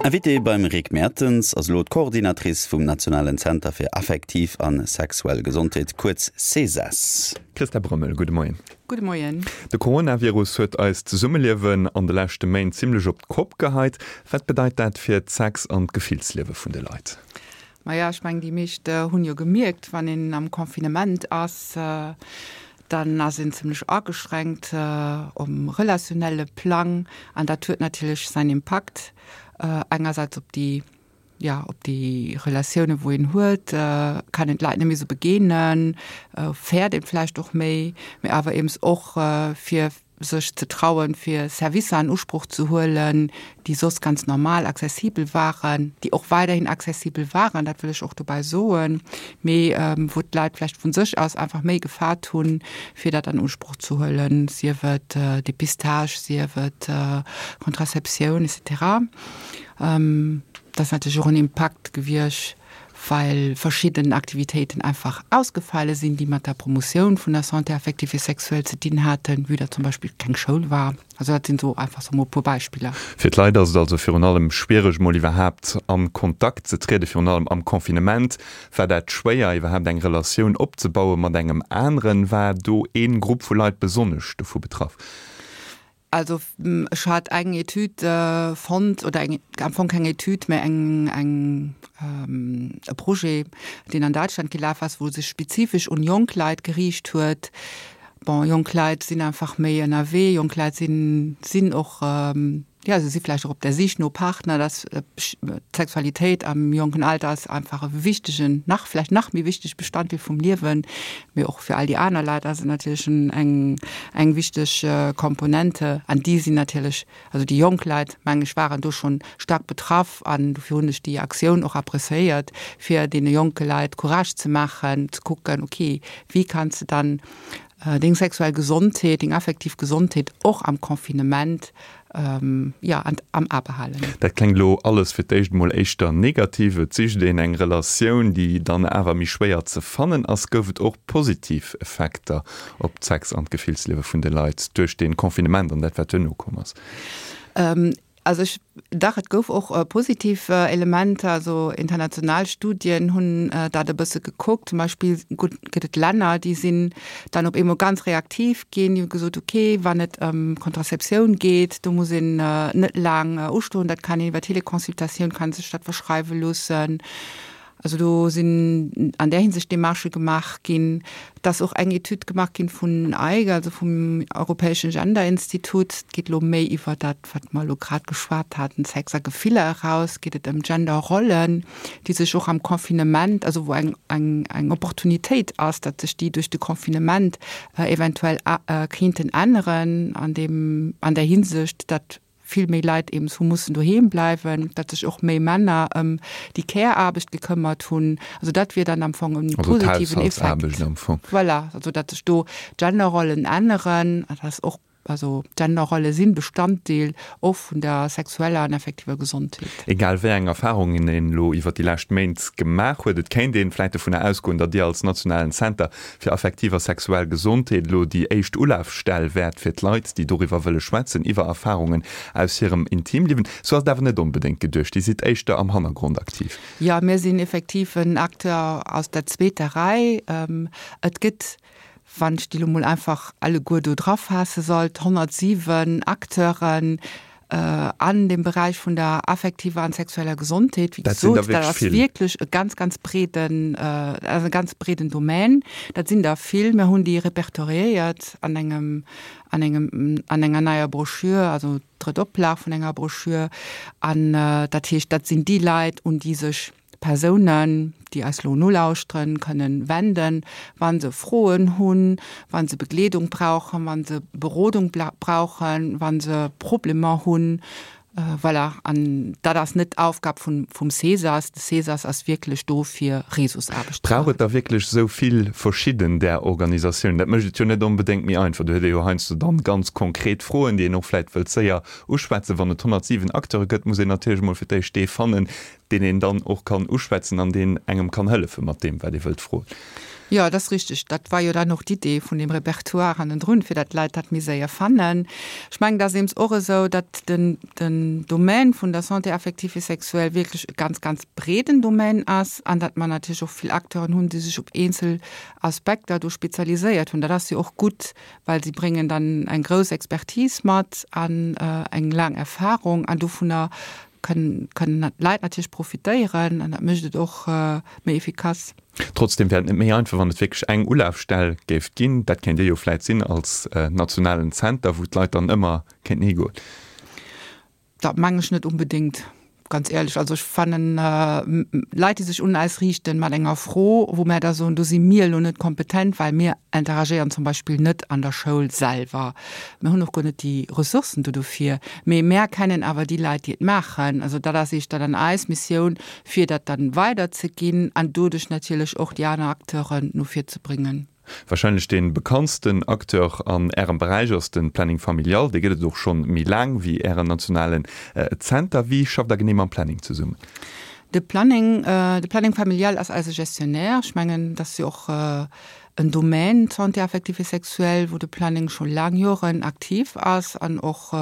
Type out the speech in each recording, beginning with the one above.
Invitée beim Rick Mertens ass elo d'Coordinatrice vum nationalen Zenter fir affektiv a sexuell Gesondheet, kuerz CESAS. Christa Brömmel, gudde Moien. Gudde Moien. De Coronavirus huet eist Zesummeliewen an de leschte Méint zimmlech op d'Kopp geheit. Wat bedeit dat fir d'Sex an d'Gefillsliewe vun de Leit? Maja, ech mengen, déi meescht hunn jo gemierkt, wann een am Confinement ass, dann ass een zimmlech ageschränkt um relationelle Plang an dat huet natierlech säin Impakt engersäits op déi, jo, op déi Relatiounen, wou een huet, kann een d'Leit net méi esou begéinen, fäert een vläicht och méi, mee awer eems och fir sech ze trauen, fir Servicer an Usproch ze huelen, déi soss ganz normal accessibel waren, déi och weiderhin accessibel waren, dat wëll ech och dobäi soen, mee wou d'Leit vläicht vu sech aus einfach méi gefaart hunn, fir dat an Usproch ze huelen, sief et Dépistage, sief et Contraceptioun et cetera. Dat ass natierlech och en Impakt gewiescht, well verschidden Aktivitéiten einfach ausgefale sinn, déi mat der Promotioun vun der Santé affective et sexuelle ze dinn haten, vue datt zum Beispill keng Schoul war. Also dat sinn esou einfach sou mol e puer Beispiller. Fir d'Leit ass et also virun allem schwiereg, mol iwwerhaapt a Kontakt ze trieden. Virun allem am Confinement war dat schwéier, iwwerhaapt eng Relatioun opzebaue mat engem aneren. War do ee Grupp vu Leit besonnesch dovu betraff? Also ech hat eng Etüd fonnt, oder eng, am Fong keng Etüd, mä eng, eng, e Projet, deen an Däitschland gelaf ass, wou sech spezifesch un jonk Leit geriicht huet. Bon, jonk Leit sinn einfach méi ënnerwee, jonk Leit sinn, sinn och, jo, se si vläicht och op der Sich no Partner. Dass d'Sexualitéit am jonken Alter ass einfach e wichtegen, nach, vläicht nach méi wichtege Bestanddeel vum Liewen, Mee och fir all déi aner Leit ass et natierlech eng, eng wichteg Komponente. An déi sinn natierlech, also déi jonk Leit, meng ech, waren do schonn staark betraff. An dofir hunn ech déi Aktioun och appréciéiert, fir deene jonke Leit Courage ze maachen, ze kucken, okay, wéi kanns de dann deng sexuell Gesondheet, deng affektiv Gesondheet och am Confinement jo, am A behalen. Dat klengt elo alles fir d'éischt emol éischter negativ. Et sicht een eng Relatioun, déi dann awer méi schwéier ze fannen ass. Gouf et och positiv Effekter op d'Sex an d'Gefillsliewe vun de Leit duerch dee Confinement an dat, wat duerno komm ass? Also ech, dach, et gouf och positiv Elementer. Also international Studien hunn dat e bësse gekuckt. Zum Beispill gëtt et Länner, déi sinn dann op eemol ganz reaktiv ginn, déi hu gesot, okay, wann et ëm Contraceptioun geet, do muss een net laang ustoen, dat kann een iwwer Teleconsultatioun kann sech dat verschreiwe loossen. Also do sinn an där Hinsicht Demarchë gemaach ginn. Et ass och eng Etüd gemaach ginn vun EIGE, also vum Europäeschen Genderinstitut. Et geet elo méi iwwer dat, wat mer elo grad geschwat haten, Sex a Gefiller eraus, geet et ëm Genderrollen, déi sech och am Confinement, also wou eng, eng, eng Opportunitéit ass, datt sech déi duerch de Confinement eventuell kéinten änneren an deem, an där Hinsicht, datt vill méi Leit eben hu mussen doheem bleiwen, datt sech och méi Männer ëm déi Care-Aarbecht gekëmmert hunn. Also dat wier dann am Fong en positiven Effekt. Voilà, also datt sech do Genderrollen änneren, dat ass och, also Genderrolle sinn Bestanddeel och vun der sexueller an affektiver Gesondheet. Egal wéi eng Erfarungen een elo iwwer déi lescht Méint gemaach huet, et kéint een vläit dovunner ausgoen, datt Dir als nationalen Zenter fir affektiv a sexuell Gesondheet elo déi éischt Ulafstell wäert fir d'Leit, déi doriwwer wëlle schwätzen, iwwer Erfarungen aus hirem Intimliewen. Sou ass et awer net onbedéngt geduecht. Dir sidd éischter am Hannergrond aktiv. Jo, mir sinn effektiv en Acteur aus der zweeter Rei. Et gëtt, wann ech déi elo mol einfach alleguer do drafaasse sollt, 107 Acteuren, an dem Beräich vun der affektiver an sexueller Gesondheet, wéi gesot, dat ass wierklech e ganz, ganz breeden, dat ass e ganz breeden Domän. Dat sinn der vill. Mir hunn déi repertoriéiert an engem, an engem, an enger neier Broschür, also d'drëtt Oplag vun enger Broschür. An dat heescht, dat sinn déi Leit, un déi sech Persounen, déi eis elo nolauschteren, kënnen wenden, wa se Froen hunn, wa se Begleedung brauchen, wa se Berodung brauchen, wa se Problemer hunn. Voilà, an dat ass net d'Aufgab vum Cesas. De Cesas ass wierklech do, fir Réseausaarbecht ze maachen. Brauch et da wierklech esou vill verschidden där Organisatiounen? Dat mécht et jo net onbedéngt méi einfach. Do huet ee jo heiansdo dann ganz konkret Froen, déi een och vläicht wëllt séier uschwätzen. Wann et 107 Acteure gëtt, muss een natierlech emol fir d'éischt dee fannen, deen een dann och kann uschwätzen an deen engem kann hëllefe mat deem, wat ee wëllt froen. Jo, dat ass richteg. Dat war jo dann och d'Idee vun deem Repertoire hannendrun, fir datt d'Leit dat méi séier fannen. Ech mengen, et ass eems och esou, datt den, den Domaine vun der Santé affective et sexuelle wierklech e ganz, ganz breeden Domaine ass an datt mer natierlech och vill Acteuren hunn, déi sech op eenzel Aspekter do spezialiséiert hunn. Dat ass jo och gutt, well si bréngen dann eng grouss Expertise mat an eng laang Erfahrung an dovunner kënnen d'Leit natierlech profitéieren an dat mécht et och méi efficace. Trotzdem wär et net méi einfach, wann et wierklech eng Ulafstell géif ginn, dat kéint Dir jo vläit sinn als nationalen Zenter, wou d'Leit dann ëmmer kéinten higoen? Dat mengen ech net unbedéngt, ganz éierlech. Also ech fannen, Leit, déi sech un eis riichten mat enger Fro, wou mär da soen, do si mir elo net kompetent, well mir interagéieren zum Beispill net an der Schoul selwer. Mir hunn och guer net déi Ressourcen do dofir. Mee mär kennen awer déi Leit, déi et maachen. Also dat ass éischter dann eis Missioun, fir dat dann weiderzeginn an doduerch natierlech och déi aner Acteuren no vir ze bréngen. Wahrscheinlech dee bekanntsten Acteur an Ärem Beräich ass de Planning Familial. Dee gëtt et och schonn méi laang wéi Ären nationalen Zenter. Wéi schafft Der genee mam Planning zesummen? De Planning, de Planning Familial ass eise Gestionnaire. Ech mengen, dat ass jo och en Domaine, d'Santé affective et sexuelle, wou de Planning scho laang Joren aktiv ass an och,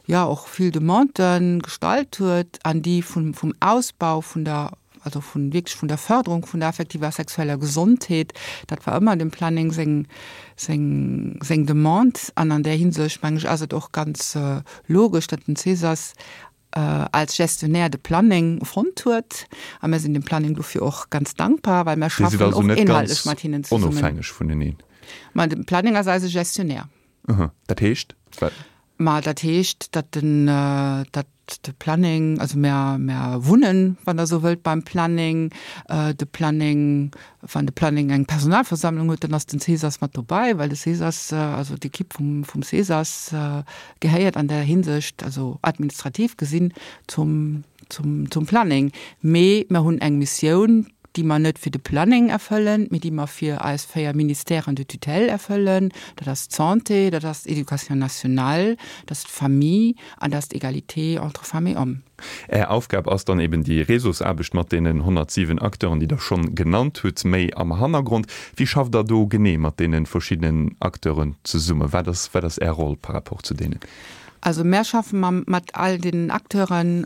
jo, och vill Demandë gestallt huet an déi vum, vum Ausbau vun der, also vun wierklech vun der Förderung vun der affektiver a sexueller Gesondheet, dat war ëmmer dem Planning seng, seng, seng Demande. An an där Hinsicht, meng ech, ass et och ganz logesch, datt den Cesas als Gestionnaire de Planning fonnt huet. A mir sinn dem Planning dofir och ganz dankbar, well mir Dir sidd schaffen also och net inhaltlech ganz mat hinnen zesummen. onofhängeg vuneneen? Ma de Planning ass eise Gestionnaire. Aha, dat heescht wat? Ma dat heescht, datt den, datt de Planning, also mär, mär wunnen, wann Der esou wëllt, beim Planning. De Planning, wann de Planning eng Personalversammlung huet, dann ass den Cesas mat dobäi, well de Cesas, also d'Ekipp vum, vum Cesas gehéiert an där Hinsicht, also administrativ gesinn, zum, zum, zum Planning. Mee mer hunn eng Missioun, déi mer net fir de Planning erfëllen, mee déi mer fir eis 4 Ministèren de tutelle erfëllen. Dat ass d'Santé, dat ass d'Éducation nationale, dat ass d'Famille an dat ass d'Égalité entre femmes et hommes. Är Aufgab ass dann eben déi Réseausaarbecht mat deenen 107 Acteuren, déi Der schonn genannt hutt, méi am Hannergrond. Wéi schafft Der do genee mat deene verschiddenen Acteuren zesummen? Wat ass, wat ass Är Roll par rapport zu deenen? Also mär schaffe mat all deenen Acteuren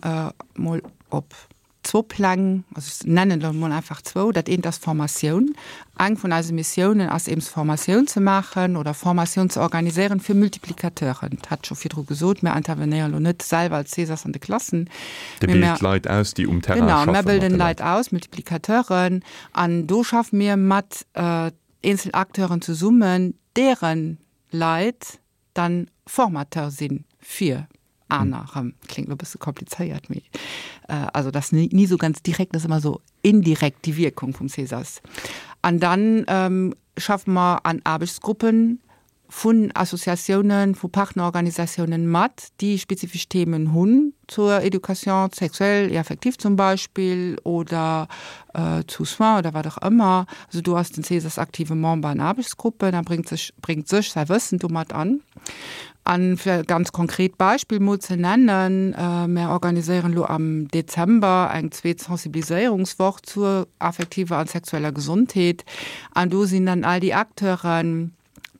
mol op zwou Pläng, also ech nennen der emol einfach zwou. Dat eent ass Formatioun. Eng vun eise Missiounen ass eems Formatioun ze maachen oder Formatioun ze organiséieren fir Multiplicateuren. Dat hat ech scho virdru gesot, Mär intervenéieren elo net selwer als Cesas an de Klassen. Dir bilt Leit aus, déi um Terrain Genau, schaffe mär mat bilden de Leit. Leit aus, Multiplicateuren, an do schaffe mir mat eenzel Acteuren zesummen, deere Leit dann Formateur sinn fir aner erëm. Kléngt elo e bësse komplizéiert, mee also dat ass ni ni esou ganz direkt, dat ass ëmmer esou indirekt déi Wierkung vum Cesas. An dann schaffe mer an Aarbechtsgruppen vun Associatiounen, vu Partnerorganisatiounen mat, déi spezifesch Themen hunn zur Éducation sexuelle et affective zum Beispill oder zu Soins oder wat och ëmmer. Also do ass den Cesas aktive Member an Aarbechtsgruppen a bréngt sech bréngt sech säi Wëssen do mat an. An fir e ganz konkret Beispill mol ze nennen, Mär organiséieren elo am Dezember eng zweet Sensibiliséierungswoch zur affektiver an sexueller Gesondheet an do sinn dann all déi Acteuren,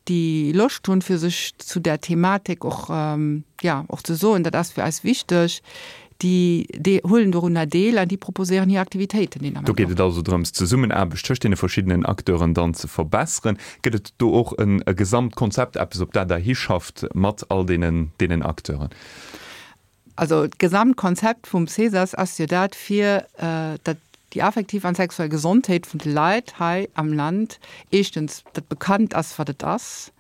déi Loscht hunn, fir sech zu där Thematik och, jo, och ze soen, dat ass fir eis wichteg, déi déi huelen dorunner deel an déi proposéieren hir Aktivitéiten deen Ament Do geet et also drëms, d'Zesummenaarbecht tëscht deene verschiddenen Acteuren dann ze verbesseren. Gëtt et do och e Gesamtkonzept, eppes, op dat Der hischafft mat all deenen, deenen Acteuren? Also d'Gesamtkonzept vum Cesas ass jo dat, fir datt déi affektiv an sexuell Gesondheet vun de Leit hei am Land éischtens, datt bekannt ass, wat et ass,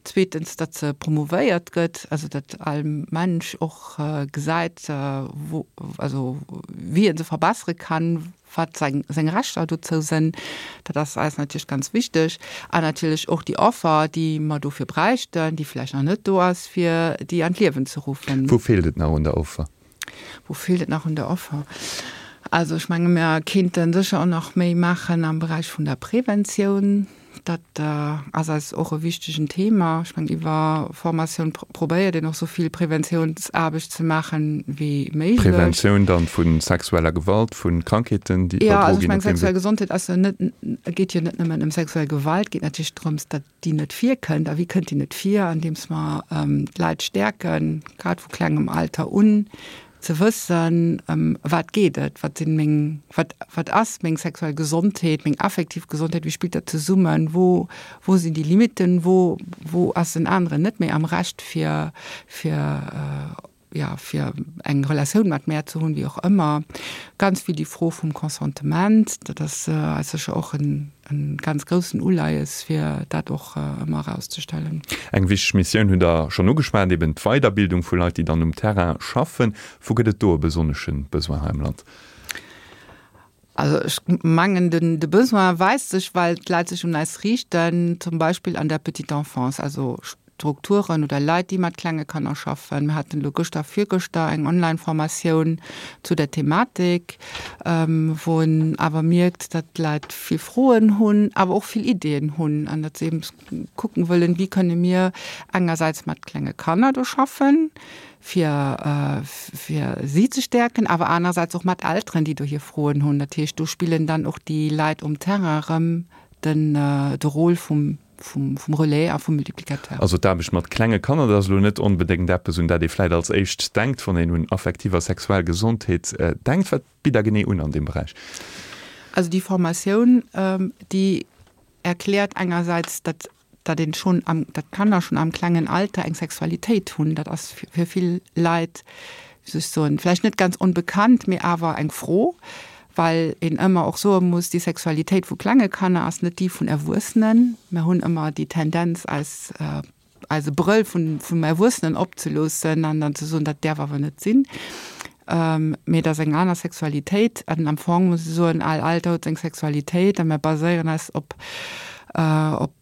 zweetens, datt se promouvéiert gëtt, also datt all Mensch och gesäit, wou, also wéi e se verbessere kann, wat seng seng Rechter dozou sënn. Dat ass eis natierlech ganz wichteg. An natierlech och déi Offer, déi mer dofir bräichten, déi vläicht nach net do ass, fir déi an d'Liewen ze ruffen. Wou feelt et nach un der Offer? Wou feelt et nach un der Offer? Also ech menge mer kéinte sécher och nach méi maachen am Beräich vun der Preventioun. Dat ass eis och e wichtegen Thema. Ech mengen, iwwer Formatioun probéiert een och esou vill Preventiounsaarbecht ze maachen wéi méiglech. Preventioun dann vu sexueller Gewalt, vu Krankheeten, déi iwwer Drogen. Jo, also ech mengen, sexuell Gesondheet ass jo net, et geet jo net nëmmen ëm sexuell Gewalt, et geet natierlech drëms, datt déi net virkënnt. A wéi kënnt déi net vir? Andeems mer d'Leit stäerken, grad vu klengem Alter un, ze wëssen, ëm wat geet et, wat sinn meng, wat, wat ass meng sexuell Gesondheet, meng affektiv Gesondheet, wéi spillt dat zesummen, wou, wou sinn déi Limitten, wou, wou ass den aneren net méi am Recht fir, fir, jo, fir eng Relatioun mat mär ze hunn, wéi och ëmmer. Ganz vill déi Fro vum Consentement, dat ass eis sécher och en e ganz groussen Uleies, fir dat och ëmmer erauszestellen. Eng wichteg Missioun hutt Der schonn ugeschwat, eben d'Weiderbildung vu Leit, déi dann um Terrain schaffen. Wou gëtt et do e besonnesche Besoin hei am Land? Also ech mengen, de Besoin weist sech, well d'Leit sech un eis riichten, zum Beispill an der Petite Enfance. Also Strukturen oder Leit, déi mat klenge Kanner schaffen. Mir haten elo gëschter, virgëschter eng Online-Formatioun zu der Thematik, wou een awer mierkt, datt d'Leit vill Froen hunn, awer och vill Ideeën hunn an datt se eben kucken wëllen, wéi kënne mir engersäits mat klenge Kanner do schaffen, fir fir si ze stäerken, awer anerersäits och mat Elteren, déi do hir Froen hunn. Dat heescht, do spillen dann och déi Leit um Terrain erëm den de Rôle vum vum Relais a vum Multiplicateur. Also d'Aarbecht mat klenge Kanner, dat ass elo net onbedéngt eppes, un dat ee vläit als éischt denkt, wann een un affektiv a sexuell Gesondheet denkt. Wat bitt Der genee un an deem Beräich? Also déi Formatioun, déi erkläert engersäits, datt datt een schonn am, datt d'Kanner schonn am klengen Alter eng Sexualitéit hunn. Dat ass fir vill Leit, wéi soll ech soen, vläicht net ganz onbekannt, mee awer eng Fro. Well een ëmmer och soe muss, déi Sexualitéit vu klenge Kanner ass net déi vun Erwuessenen. Mir hunn ëmmer déi Tendenz, eis eise Brëll vun vum Erwuessenen opzeloossen an dann ze soen, dat däerf awer net sinn. Mee et ass eng aner Sexualitéit. An am Fong muss ee soen, all Alter huet seng Sexualitéit a mir baséieren eis op op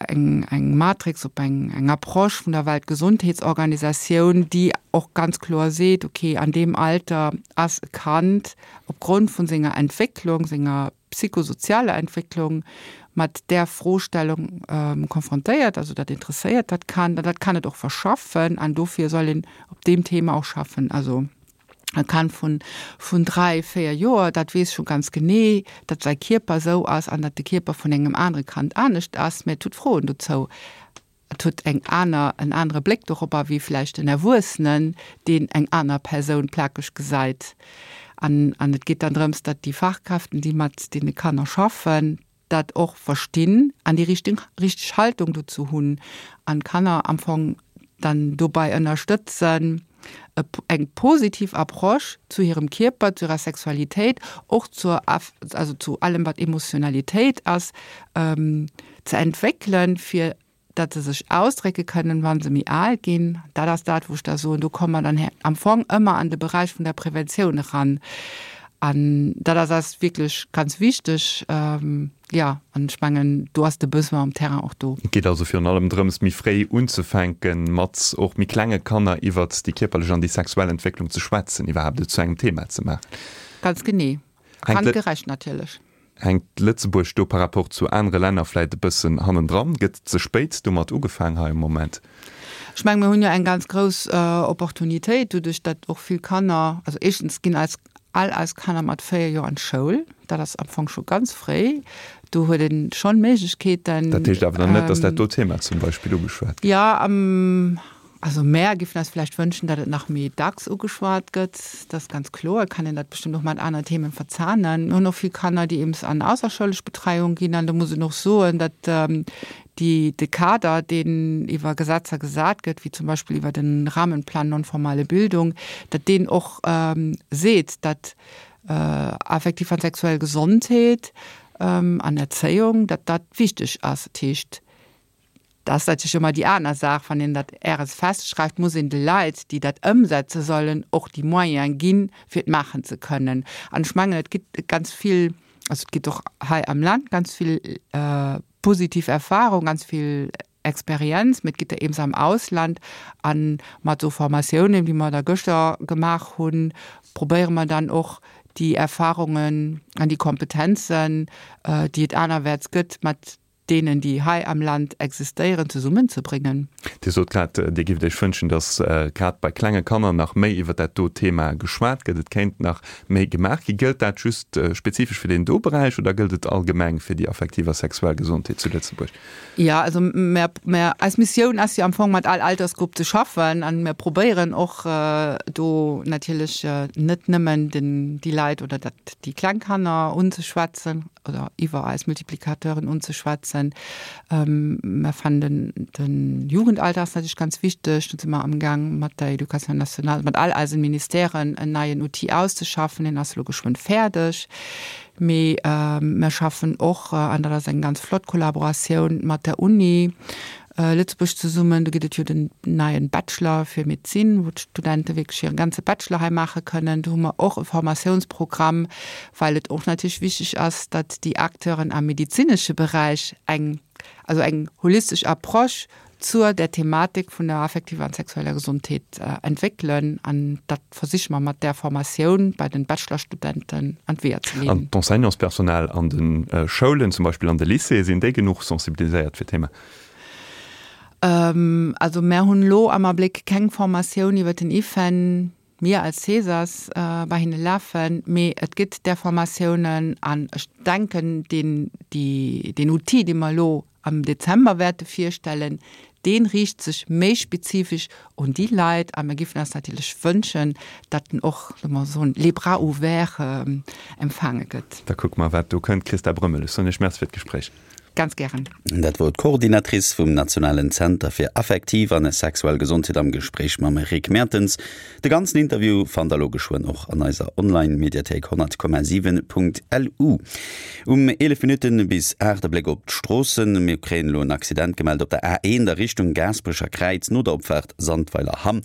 eng eng Matrix, op eng eng Approche vun der Weltgesondheetsorganisatioun, déi och ganz kloer seet, okay, an deem Alter ass e Kand opgrond vun senger Entwécklung, senger psychosozialer Entwécklung mat där Froestellung konfrontéiert, also dat interesséiert dat Kand an dat kann et och verschaffen an dofir soll een op deem Thema och schaffen. Also e Kand vun, vun 3, 4 Joer, dat weess scho ganz genee, datt säi Kierper esou ass an datt de Kierper vun engem anere Kand anescht ass, mä et huet Froen dozou. Et huet eng aner, en anere Bléck dorobber wéi vläicht en Erwuessenen, deen eng aner Persoun plakeg gesäit. An, an et geet dann drëms, datt déi Fachkräften, déi mat deene Kanner schaffen, dat och verstinn an déi richteg, richteg Haltung dozou hunn an d'Kanner am Fong dann dobei ënnerstëtzen, eng positiv Approche zu hirem Kierper, zu hirer Sexualitéit, och zur, also zu allem wat Emotionalitéit ass, ze entwéckelen, fir datt se sech ausdrécke kënnen, wa se méi al ginn. Dat ass dat, wou ech da soen, do komme mer dann am Fong ëmmer an de Beräich vun der Preventioun eran. An dat ass eis wierklech ganz wichteg. Jo, an ech mengen, do ass de Besoin um Terrain och do. Et geet also virun allem drëms, méi fréi unzefänken, mat och méi klenge Kanner iwwert déi kierperlech an déi sexuell Entwécklung ze schwätzen, iwwerhaapt et zu engem Thema ze maachen. Ganz genee. Kandgerecht natierlech. Hänkt Lëtzebuerg do par rapport zu anere Länner vläit e bëssen hannendran? Gëtt ze spéit domat ugefaang hei am Moment? Ech menge mir hunn jo eng ganz grouss Opportunitéit, doduerch datt och vill Kanner, also éischtens ginn eis all eis Kanner mat 4 Joer an d'Schoul, dat ass am Fong scho ganz fréi, do huet ee schonn Méiglechkeeten. Dat heescht awer dann net, datt dat do Thema zum Beispill ugeschwat gëtt? Jo, am Also mär giffen eis vläicht wënschen, datt et nach méi dacks ugeschwat gëtt. Dat ass ganz kloer. Et kann een dat bestëmmt och mat aneren Themen verzahnen. Mir hunn och vill Kanner, déi eems an ausserschoulesch Betreiung ginn. An do muss een och soen, datt déi, de Kader, deen iwwer Gesetzer gesat gëtt, wéi zum Beispill iwwer den Rahmenplan non-formale Bildung, datt deen och seet, datt affektiv an sexuell Gesondheet an Erzéiung, datt dat wichteg ass. Dat heescht, Dat ass natierlech ëmmer déi aner Saach, wann een dat äres festschreift, muss een de Leit, déi dat ëmsetze sollen, och déi Moyene ginn, fir et maachen ze kënnen. An ech mengen, et gibt ganz vill, also et gibt och hei am Land ganz vill positiv Erfahrung, ganz vill Experienz, mee et gibt der ebenso am Ausland. A mat esou Formatiounen, wéi mer der gëschter gemaach hunn, probéiere mer dann och déi Erfahrungen an déi Kompetenzen, déi et anerwäerts gëtt, mat. deenen, déi hei am Land existéieren, zesummenzebréngen. Dir sot grad, Dir gifft Iech wënschen, datt grad bei klenge Kanner nach méi iwwer dat do Thema geschwat gëtt, et kéint nach méi gemaach ginn. Gëllt dat just spezifesch fir deen do Beräich oder gëllt et allgemeng fir déi affektiv a sexuell Gesondheet zu Lëtzebuerg? Jo, also mir, mir, eis Missioun ass jo am Fong mat all Altersgrupp ze schaffen an mir probéieren och do natierlech net nëmmen den, déi Leit oder dat, déi kleng Kanner unzeschwätzen oder iwwer eis Multiplicateuren unzeschwätzen. Mir fannen den, den Jugendalter ass natierlech ganz wichteg. Do si mer amgaang mat der Éducation nationale, mat all eisen Ministèren en neien Outil auszeschaffen. Deen ass elo geschwënn fäerdeg. Mee mir schaffen och, an dat ass eng ganz flott Kollaboratioun mat der Uni Lëtzebuerg zesummen, do gëtt et jo den neien Bachelor fir Medezin, wou d'Studente wierklech hire ganze Bachelor hei maache kënnen. Do hu mer och e Formatiounsprogramm, well et och natierlech wichteg ass, datt déi Acteuren am medezinesche Beräich eng, also eng holistesch Approche zur der Thematik vun der affektiver an sexueller Gesondheet entwéckelen an dat versiche mer mat där Formatioun bei den Bachelorstudenten an d'Weeër ze leeden. An d'Enseignantspersonal an de Schoulen, zum Beispill an de Lycéeë, sinn déi genuch sensibiliséiert fir d'Thema? Also mär hunn elo am Abléck keng Formatioun iwwer den IFEN, mir als Cesas, bei hinne lafen, mee et gëtt där Formatiounen an ech denken, deen, deen Outil, dee mer elo am Dezember wäerte virstellen, dee riicht sech méi spezifesch un déi Leit a mir géifen eis natierlech wënschen, datt en och, solle mer soen, les bras ouverts empfaange gëtt. Da kucke mer, wat do kënnt. Christa Brömmel, ech soen Iech Merci fir d'Gespréich. Ganz gären. Dat wor d'Coordinatrice vum Nationalen Zenter fir affektiv an sexuell Gesondheet am Gespréich mam Rick Mertens. De ganzen Interview fannt der lo geschwënn och an eiser Online-Mediathéik 100,7.lu. Um 11 Minutten bis 8 e Bléck op d'Stroossen. Mir kréien elo en Accident gemellt op der A1 a Richtung Gaasperecher Kräiz no der Opfaart Sandweiler-Hamm.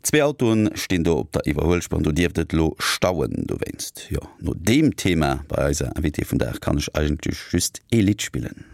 Zwee Autoen stinn do op der Iwwerhuelspuer an do dierft et elo stauen dowéinst. Jo, no deem Thema bei eiser Invitée vum Dag kann ech eigentlech just ee Lidd spillen.